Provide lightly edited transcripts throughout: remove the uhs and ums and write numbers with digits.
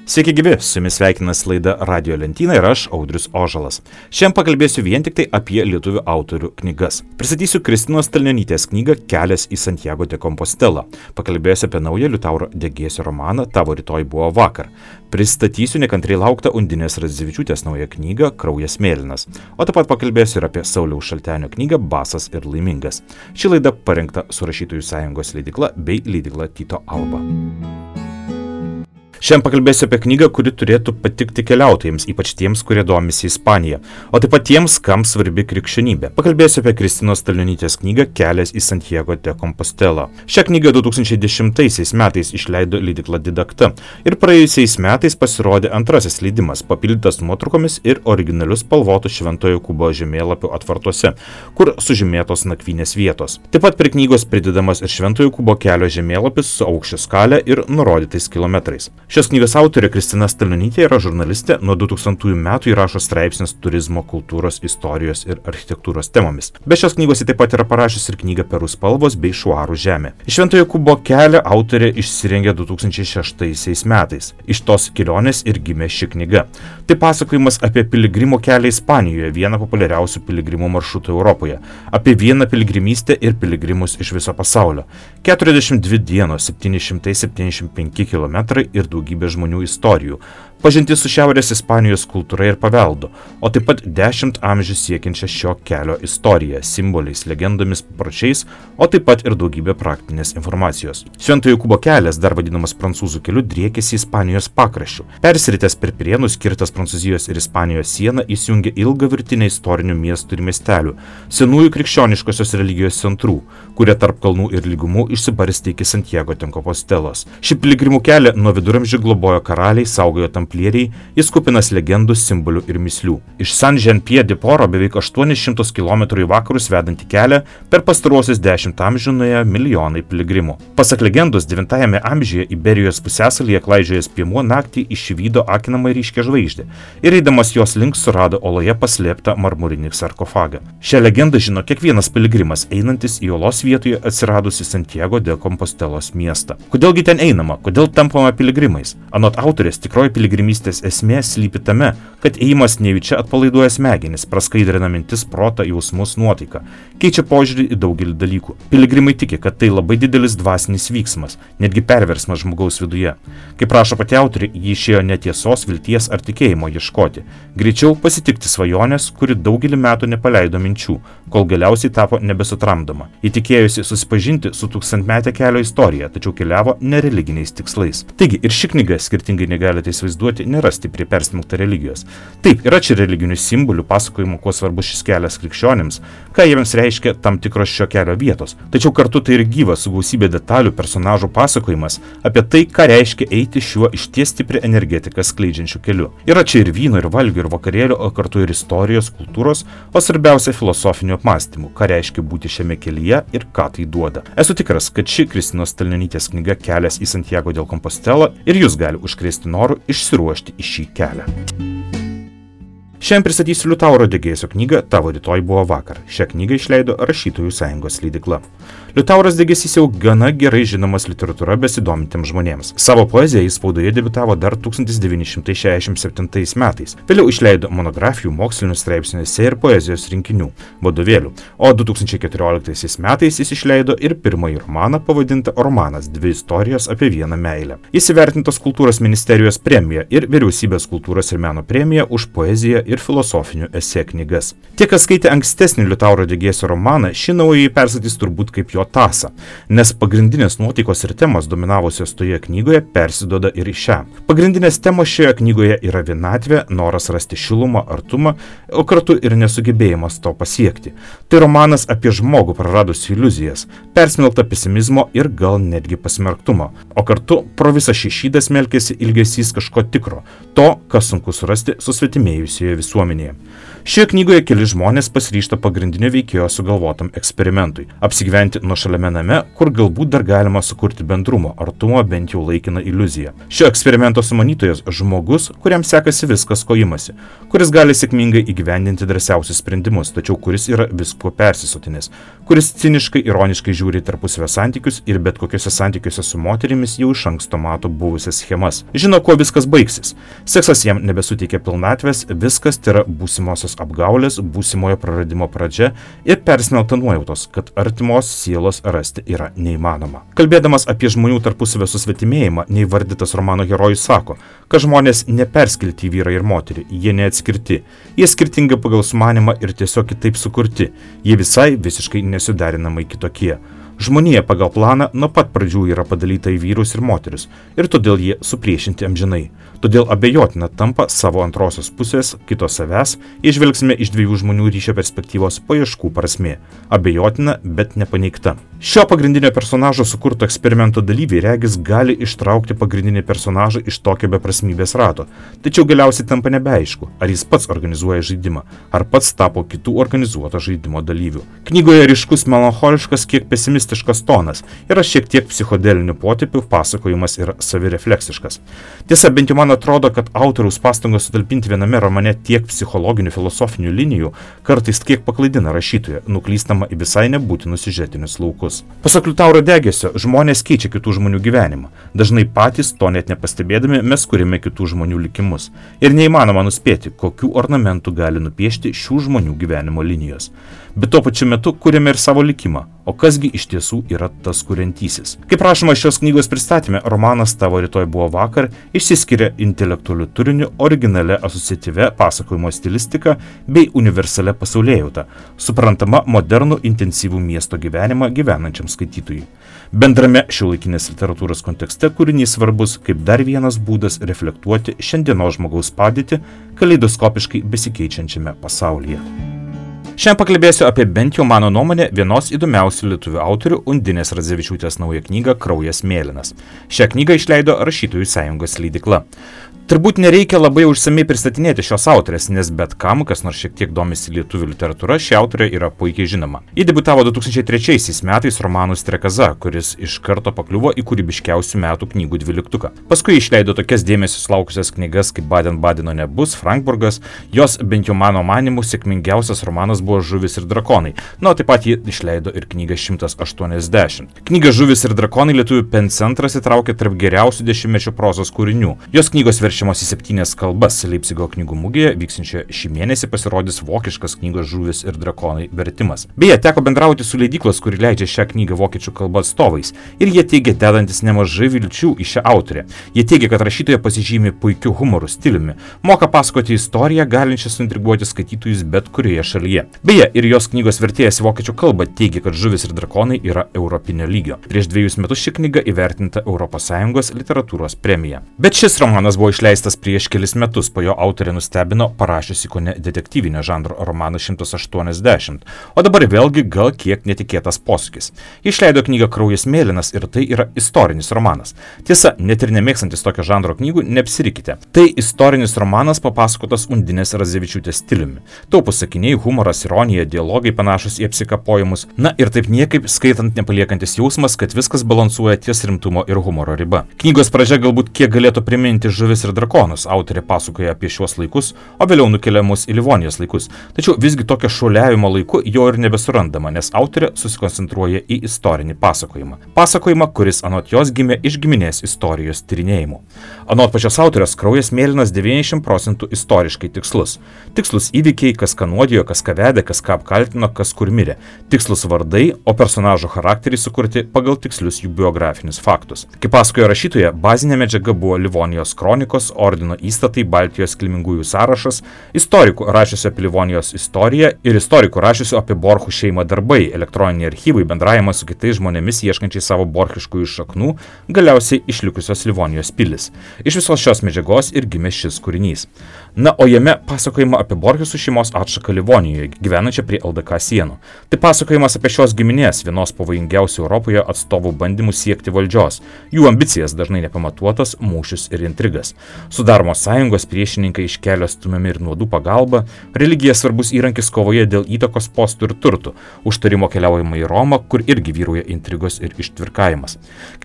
Sveiki gyvi, su jumis sveikinasi laida Radio Lentyna ir aš, Audrius Ožalas. Šiandien pakalbėsiu vien tik tai apie lietuvių autorių knygas. Pristatysiu Kristinos Stalnionytės knygą Kelias į Santiago de Compostelą. Pakalbėsiu apie naują Liutauro Degėsio romaną Tavo rytoj buvo vakar. Pristatysiu nekantriai lauktą Undinės Radzevičiūtės naują knygą Kraujas mėlynas. O taip pat pakalbėsiu ir apie Sauliaus Šaltenio knygą Basas ir laimingas. Ši laida parengta su Rašytojų sąjungos leidykla bei leidykla Tyto Alba. Šiandien pakalbėsiu apie knygą, kuri turėtų patikti keliautojams, ypač tiems, kurie domisi Ispanija, o taip pat tiems, kam svarbi krikščionybė. Pakalbėsiu apie Kristinos Stalnionytės knygą Kelias į Santiago de Compostelą. Šią knygą 2010 metais išleido leidykla Didakta ir praėjusiais metais pasirodė antrasis leidimas, papildytas nuotraukomis ir originaliu spalvotu Šventojo Jokūbo žemėlapiu atvartuose, kur sužymėtos nakvynės vietos. Taip pat prie knygos pridedamas ir Šventojo Jokūbo kelio žemėlapis su aukščio skale ir nurodytais kilometrais. Šios knygos autorė Kristina Stalnionytė yra žurnalistė, nuo 2000 metų įrašo straipsnius turizmo, kultūros, istorijos ir architektūros temomis. Be šios knygos ji taip pat yra parašiusi ir knygą Perų spalvos bei Švarų žemė. Iš Šventojo Jokūbo kelio autorė išsirengė 2006 metais. Iš tos kelionės ir gimė ši knyga. Tai pasakojimas apie piligrimo kelią Ispanijoje, vieną populiariausių piligrimų maršrutų Europoje, apie vieną piligrimystę ir piligrimus iš viso pasaulio. 42 dienos, 775 km ir daugybė žmonių istorijų, pažintis su Šiaurės Ispanijos kultūra ir paveldu, o taip pat 10 amžių siekiančią šio kelio istoriją, simboliais, legendomis, papročiais, o taip pat ir daugybė praktinės informacijos. Šventojo Jokūbo kelias, dar vadinamas prancūzų keliu, driekėsi Ispanijos pakraščiu. Persiritęs per Pirėnus, kirtęs Prancūzijos ir Ispanijos sieną, įsijungė ilgą virtinę istorinių miestų ir miestelių, senųjų krikščioniškosios religijos centrų, kurie tarp kalnų ir lygumų išsibarstė iki Santiago de Compostelos. Šį piligrimų kelią nuo viduramžių globojo karaliai, saugojo tamplieriai, jis kupinas legendų, simbolių ir mįslių. Iš San Jean Pied de Port beveik 800 km į vakarus vedantį kelią per pastaruosius 10 amžių nuėjo milijonai piligrimų. Pasak legendos, 9 amžiuje Iberijos pusiasalyje klaidžiojęs piemuo naktį išvydo akinamai ryškią žvaigždę ir eidamas jos link surado oloje paslėptą marmurinį sarkofagą. Šią legendą žino kiekvienas piligrimas, einantis į olos vietoje atsiradusi Santiago de Compostelos miestą. Kodėlgi ten einama? Kodėl tampama piligrimais? Anot autorės, tikroji piligrimystės esmė slypi tame, kad ėjimas nejučia atpalaiduoja smegenis, praskaidrina mintis, protą, jausmus, nuotaiką, keičia požiūrį į daugelį dalykų. Piligrimai tiki, kad tai labai didelis dvasinis vyksmas, netgi perversmas žmogaus viduje. Kaip rašo pati autorė, ji išėjo ne tiesos, vilties ar tikėjimo ieškoti, greičiau pasitikti svajonės, kuri daugelį metų nepaleido minčių, kol galiausiai tapo nebesutramdoma. Ji tikėjosi susipažinti su tūkstantmetė kelio istorija, tačiau keliavo nereliginiais tikslais. Taigi ir ši knyga, skirtingai negalite įsivaizduoti, nėra stipriai persmelkta religijos. Taip, yra čia religinių simbolių, pasakojimų, kuo svarbus šis kelias krikščionims, ką jiems reiškia tam tikros šio kelio vietos. Tačiau kartu tai ir gyvas su gausybė detalių personažų pasakojimas apie tai, ką reiškia eiti šiuo išties stiprią energetiką skleidžiančiu keliu. Yra čia ir vyno, ir valgių, ir vakarėlių, o kartu ir istorijos, kultūros, o svarbiausia filosofinių apmąstymų, ką reiškia būti šiame kelyje ir ką tai duoda. Esu tikras, kad ši Kristinos Stalnionytės knyga Kelias į Santiago de Compostelą ir jūs gali užkrėsti noru išsiruošti į šį kelią. Šiandien pristatysiu Liutauro Degėsio knygą Tavo rytoj buvo vakar. Šią knygą išleido Rašytojų sąjungos leidykla. Liutauras Degėsys jau gana gerai žinomas literatūra besidomintiems žmonėms. Savo poeziją jis spaudoje debiutavo dar 1967 metais. Vėliau išleido monografijų, mokslinių straipsnių, esė ir poezijos rinkinių, vadovėlių. O 2014 metais jis išleido ir pirmąjį romaną pavadintą Romanas – 2 istorijos apie vieną meilę. Jis įvertintas Kultūros ministerijos premija ir Vyriausybės kultūros ir meno premija už poeziją ir filosofinių esė knygas. Tie, kas skaitė ankstesnį Liutauro Degėsio romaną, šį naująjį persakys turbūt kaip jo tąsą, nes pagrindinės nuotaikos ir temos dominavusios toje knygoje persiduoda ir į šią. Pagrindinės temos šioje knygoje yra vienatvė, noras rasti šilumą, artumą, o kartu ir nesugebėjimas to pasiekti. Tai romanas apie žmogų praradusių iliuzijas, persmelktą pesimizmo ir gal netgi pasmerktumo, o kartu pro visą šį šydą smelkėsi ilgesys kažko tikro, to, kas sunku surasti susvetimėjusioje visuomenėje. Šioje knygoje keli žmonės pasiryžta pagrindinio veikėjo sugalvotam eksperimentui – apsigyventi nuošaliame name, kur galbūt dar galima sukurti bendrumo, artumo, bent jau laikiną iliuziją. Šio eksperimento sumanytojas – žmogus, kuriam sekasi viskas, ko imasi, kuris gali sėkmingai įgyvendinti drąsiausius sprendimus, tačiau kuris yra viskuo persisotinęs, kuris ciniškai, ironiškai žiūri tarpusavio santykius ir bet kokiuose santykiuose su moterimis jau iš anksto mato buvusias schemas. Žino, kuo viskas baigsis. Seksas jam nebesuteikia pilnatvės, viskas tai yra būsimosios apgaulės, būsimojo praradimo pradžia ir persmelkta nuojautos, kad artimos sielos rasti yra neįmanoma. Kalbėdamas apie žmonių tarpusavio susvetimėjimą, neįvardytas romano herojus sako, kad žmonės neperskilti į vyrą ir moterį, jie neatskirti, jie skirtingi pagal sumanimą ir tiesiog kitaip sukurti, jie visai visiškai nesuderinamai kitokie. Žmonija pagal planą nuo pat pradžių yra padalyta į vyrus ir moteris, ir todėl jie supriešinti amžinai. Todėl abejotina tampa savo antrosios pusės, kito savęs, įžvelgsime iš dviejų žmonių ryšio perspektyvos paieškų prasmė. Abejotina, bet nepaneigta. Šio pagrindinio personažo sukurto eksperimento dalyviai regis gali ištraukti pagrindinį personažą iš tokio beprasmybės rato, tačiau galiausiai tampa nebeaišku, ar jis pats organizuoja žaidimą, ar pats tapo kitų organizuoto žaidimo dalyvių. Knygoje ryškus melancholiškas, kiek pesimistiškas tonas, yra šiek tiek psichodelinių potipių, pasakojimas yra savirefleksiškas. Tiesa, bent jau man atrodo, kad autoriaus pastangos sutalpinti viename romane tiek psichologinių filosofinių linijų kartais kiek paklaidina rašytoją, nuklystama į visai nebūtinus siužetinius laukus. Pasak Liutauro Degėsio, žmonės keičia kitų žmonių gyvenimą. Dažnai patys, to net nepastebėdami, mes kuriame kitų žmonių likimus. Ir neįmanoma nuspėti, kokių ornamentų gali nupiešti šių žmonių gyvenimo linijos. Bet tuo pačiu metu kuriame ir savo likimą, o kasgi iš tiesų yra tas kuriantysis. Kaip rašoma šios knygos pristatyme, romanas Tavo rytoj buvo vakar išsiskiria intelektualiu turiniu, originale asociatyvia pasakojimo stilistika bei universalia pasaulėjauta, suprantama modernų intensyvų miesto gyvenimą gyvenančiam skaitytojui. Bendrame šiuolaikinės literatūros kontekste kūrinys svarbus kaip dar vienas būdas reflektuoti šiandienos žmogaus padėtį kaleidoskopiškai besikeičiančiame pasaulyje. Šiandien pakalbėsiu apie bent jau mano nuomonę vienos įdomiausių lietuvių autorių Undinės Radzevičiūtės naują knygą Kraujas mėlynas. Šią knygą išleido Rašytojų sąjungos leidykla. Turbūt nereikia labai užsamei pristatinėti šios autorės, nes bet kam, kas nors šiek tiek domisi lietuvių literatūra, ši autorė yra puikiai žinoma. Ji debiutavo 2003 metais romanu Strekaza, kuris iš karto pakliuvo į kūrybiškiausių metų knygų dvyliktuką. Paskui išleido tokias dėmesio sulaukusias knygas kaip Baden-Badeno nebus, Frankburgas, jos bent jau mano manimu sėkmingiausias romanas buvo Žuvis ir drakonai. Na, taip pat ji išleido ir knygą 180. Knyga Žuvis ir drakonai lietuvių pen centras įtraukė tarp geriausių dešimtmečio prozos kūrinių. Jos knygos verčiamos į 7 kalbas. Leipcigo knygų mugėje vyksinčioje šį mėnesį pasirodys vokiškas knygos Žuvis ir drakonai vertimas. Beje, teko bendrauti su leidyklos, kuri leidžia šią knygą vokiečių kalba atstovais, ir jie teigia dedantis nemažai vilčių į šią autorę. Jie teigia, kad rašytoja pasižymi puikiu humoru stiliumi, moka pasakoti istoriją, galinčią suintriguoti skaitytojus bet kurioje šalyje. Beje, ir jos knygos vertėjas į vokiečių kalbą teigia, kad Žuvis ir drakonai yra europinio lygio. Prieš 2 metus ši knyga įvertinta ES literatūros premija. Bet šis romanas buvo išleistas prieš kelis metus, po jo autorė nustebino parašiusi kone detektyvinio žanro romaną 180, o dabar vėlgi gal kiek netikėtas posūkis. Išleido knygą Kraujas mėlynas ir tai yra istorinis romanas. Tiesa, net ir nemėgstantis tokio žanro knygų, neapsirikite. Tai istorinis romanas papasakotas Undinės Radzevičiūtės stiliumi. Taupūs sakiniai, humoras, ironija, dialogai panašus į apsikapojimus. Na ir taip niekaip skaitant nepaliekantis jausmas, kad viskas balansuoja ties rimtumo ir humoro riba. Knygos pradžia galbūt kiek galėtų priminti Žuvis ir drakonus. Autorė pasakoja apie šiuos laikus, o vėliau nukelia mus į Livonijos laikus. Tačiau visgi tokio šuoliavimo laiku jo ir nebesurandama, nes autorė susikoncentruoja į istorinį pasakojimą. Pasakojimą, kuris anot jos gimė iš giminės istorijos tyrinėjimų. Anot pačios autorės, Kraujas mėlynas 90% istoriškai tikslus. Tikslus įvykiai, kas ką nuodijo, kas ką vedė, kas ką apkaltino, kas kur mirė. Tikslus vardai, o personažo charakteriai sukurti pagal tikslius jų biografinius faktus. Kaip pasakojo rašytoja, bazinė medžiaga buvo Livonijos kronikos, ordino įstatai, Baltijos kilmingųjų sąrašas, istorikų rašiusių apie Livonijos istoriją ir istorikų rašiusių apie Borchų šeimą darbai, elektroniniai archyvai, bendravimas su kitais žmonėmis ieškančiai savo borchiškųjų šaknų, galiausiai išlikusios Livonijos pilis. Iš visos šios medžiagos ir gimė šis kūrinys. Na, o jame pasakojama apie Borchesų šeimos atšaką Livonijoje, gyvenančią prie LDK sienų. Tai pasakojimas apie šios giminės, vienos pavojingiausių Europoje atstovų bandymų siekti valdžios, jų ambicijas dažnai nepamatuotas, mūšius ir intrigas. Sudaromos sąjungos, priešininkai iš kelio stumiami ir nuodų pagalba, religija svarbus įrankis kovoje dėl įtakos postų ir turtų, užtarimo keliaujama į Romą, kur irgi vyrauja intrigos ir ištvirkavimas.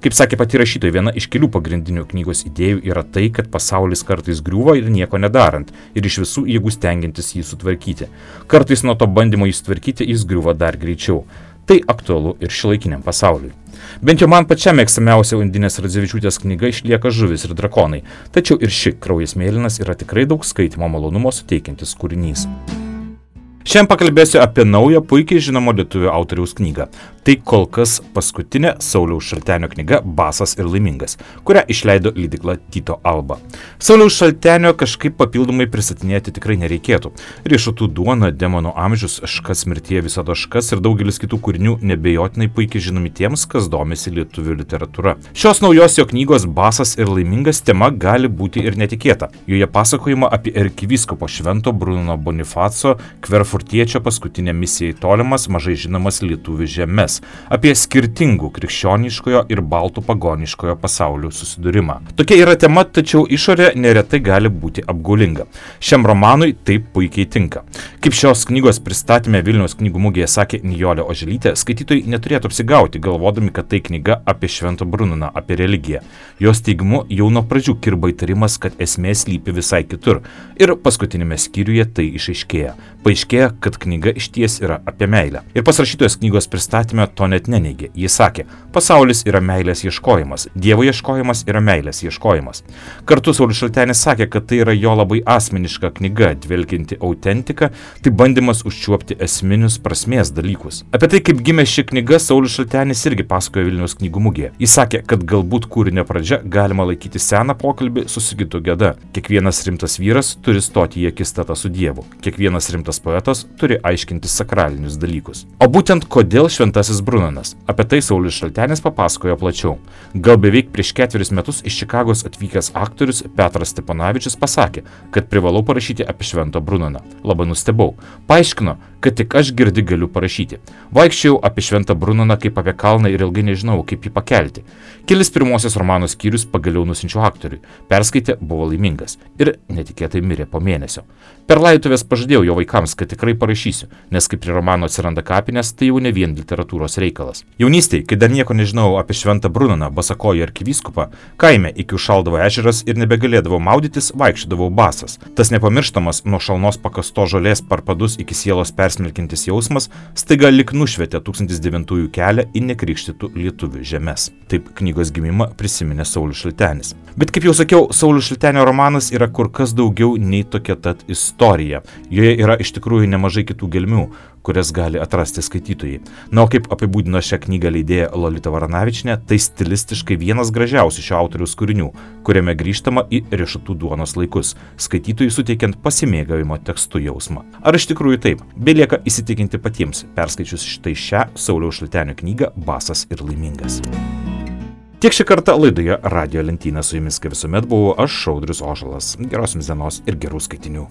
Kaip sakė pati rašytoja, viena iš kelių pagrindinių knygos idėjų yra tai, kad pasaulis kartais griūva ir nieko nedarant, ir iš visų jėgų stengiantis jį sutvarkyti. Kartais nuo to bandymo jį sutvarkyti jis griūva dar greičiau. Tai aktualu ir šiuolaikiniam pasauliui. Bent jau man pačiam mėgstamiausia Undinės Radzevičiūtės knyga išlieka Žuvis ir drakonai, tačiau ir ši Kraujas mėlynas yra tikrai daug skaitymo malonumo suteikiantis kūrinys. Šiandien pakalbėsiu apie naują, puikiai žinomo lietuvių autoriaus knygą. Tai kol kas paskutinė Sauliaus Šaltenio knyga Basas ir laimingas, kurią išleido leidykla Tyto Alba. Sauliaus Šaltenio kažkaip papildomai pristatinėti tikrai nereikėtų. Riešutų duona, Demonų amžius, Škas mirtyje visada škas ir daugelis kitų kūrinių nebejotinai puikiai žinomi tiems, kas domisi lietuvių literatūra. Šios naujos jo knygos Basas ir laimingas tema gali būti ir netikėta. Joje pasakojama apie arkivyskupo Švento Bruno Bonifaco Kverfurtiečio paskutinę misiją į tolimas, mažai žinomas lietuvių žemes, apie skirtingų krikščioniškojo ir baltų pagoniškojo pasaulių susidūrimą. Tokia yra tema, tačiau išorė neretai gali būti apgaulinga. Šiam romanui taip puikiai tinka. Kaip šios knygos pristatyme Vilniaus knygų mugėje sakė Nijolė Oželytė, skaitytojai neturėtų apsigauti, galvodami, kad tai knyga apie Švento Brunoną, apie religiją. Jos teigimu jau nuo pradžių kirba įtarimas, kad esmė slypi visai kitur. Ir paskutinėme skyriuje tai išaiškėja. Paaiškėja, kad knyga išties yra apie meilę. Ir pas rašytojos knygos pristatyme to net neneigė. Jis sakė, pasaulis yra meilės ieškojimas, Dievo ieškojimas yra meilės ieškojimas. Kartu Saulius Šaltenis sakė, kad tai yra jo labai asmeniška knyga, dvelkianti autentika, tai bandymas užčiuopti esminius prasmės dalykus. Apie tai, kaip gimė ši knyga, Saulius Šaltenis irgi pasakojo Vilniaus knygų mugėje. Jis sakė, kad galbūt kūrinio pradžia galima laikyti seną pokalbį su Sigitu Geda. Kiekvienas rimtas vyras turi stoti į akistatą su Dievu. Kiekvienas rimtas poetas turi aiškinti sakralinius dalykus. O būtent kodėl Šventasis Brunonas? Apie tai Saulius Šaltenis papasakojo plačiau. Gal beveik prieš 4 metus iš Čikagos atvykęs aktorius Petras Steponavičius pasakė, kad privalau parašyti apie Šventą Brunoną. Labai nustebau. Paaiškino, kad tik aš girdi galiu parašyti. Vaikščiau apie Šventą Brunoną kaip apie kalną ir ilgai nežinau, kaip jį pakelti. Kelis pirmosios romano skyrius pagaliau nusinčiau aktoriui. Perskaitė, buvo laimingas. Ir netikėtai mirė po mėnesio. Per laidotuvės pažadėjau jo vaikams, kad tikrai parašysiu, nes kai prie romano atsiranda kapinės, tai jau ne vien literatūros reikalas. Jaunystėje, kai dar nieko nežinojau apie Šventą Brunoną, basakojį arkivyskupą, kaime iki užšaldavo ežeras ir nebegalėdavau maudytis, vaikščiodavau basas. Tas nepamirštamas nuo šalnos pakasto žolės parpadus iki sielos persmelkintis jausmas staiga lik nušvietė 1009 kelią į nekrikštytų lietuvių žemes. Taip knygos gimimą prisiminė Saulius Šaltenis. Bet kaip jau sakiau, Saulius Šaltenio romanas yra kur kas daugiau nei tokia tad istorija. Joje yra iš tikrųjų nemažai kitų gelmių, kurias gali atrasti skaitytojai. Na, o kaip apibūdino šią knygą leidėja Lolita Varanavičienė, tai stilistiškai vienas gražiausių šio autoriaus kūrinių, kuriame grįžtama į riešutų duonos laikus, skaitytojui suteikiant pasimėgavimo tekstu jausmą. Ar iš tikrųjų taip? Belieka įsitikinti patiems, perskaičius štai šią Sauliaus Šaltenio knygą Basas ir laimingas. Tiek šį kartą laidoje Radijo lentyna, su jumis kaip visuomet buvau aš, Audrius Ožalas. Geros jums dienos ir gerų skaitinių.